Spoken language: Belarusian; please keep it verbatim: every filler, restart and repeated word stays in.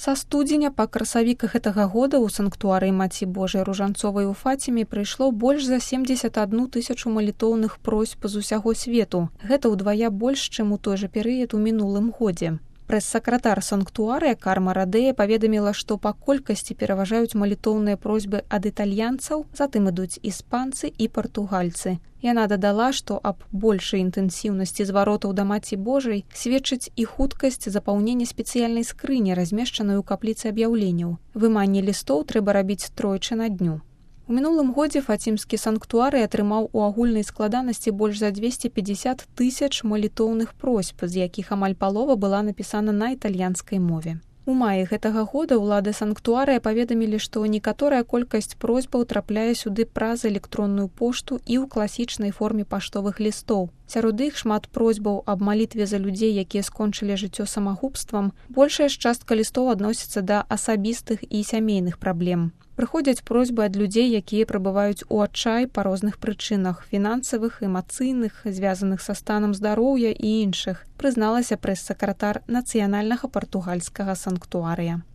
Са студзеня па красавік гэтага года ў санктуарыі Маці Божай Ружанцовай у Фаціме прыйшло больш за семдзесят адну тысячу малітоўных просьб з усяго свету. Гэта ўдвая больш, чым у той жа перыяд у мінулым годзе. Прэс-сакратар санктуарыя Карма Радея паведаміла, што па колькасці пераважаюць малітоўныя просьбы ад італьянцаў, затым ідуць іспанцы і партугальцы. Яна дадала, што аб большай інтэнсіўнасці зваротаў да Маці Божай сведчыць і хуткасць запаўнення спецыяльнай скрыні, размешчанай у капліцы аб'яўленняў. Выманне лістоў трэба рабіць тройчы на дню. У мінулым годзе фацімскі санктуарый атрымаў у агульнай складанасці больш за дзвесце пятьдесят тысяч малітоўных просьб, з якіх амаль палова была напісана на італьянскай мове. У маі гэтага года ўлады санктуарыя паведамілі, што некаторая колькасць просьбаў трапляе сюды праз электронную пошту і ў класічнай форме паштовых лістоў. Сярод іх шмат просьбаў аб малітве за людзей, якія скончылі жыццё самагубствам. Большая ж частка лістоў адносіцца да асабістых і сямейных праблем. Прыходзяць просьбы ад людзей, якія прабываюць у адчай па розных прычынах – фінансавых, эмацыйных, звязаных са станам здароўя і іншых, прызналася прэс-сакратар нацыянальнага партугальскага санктуарыя.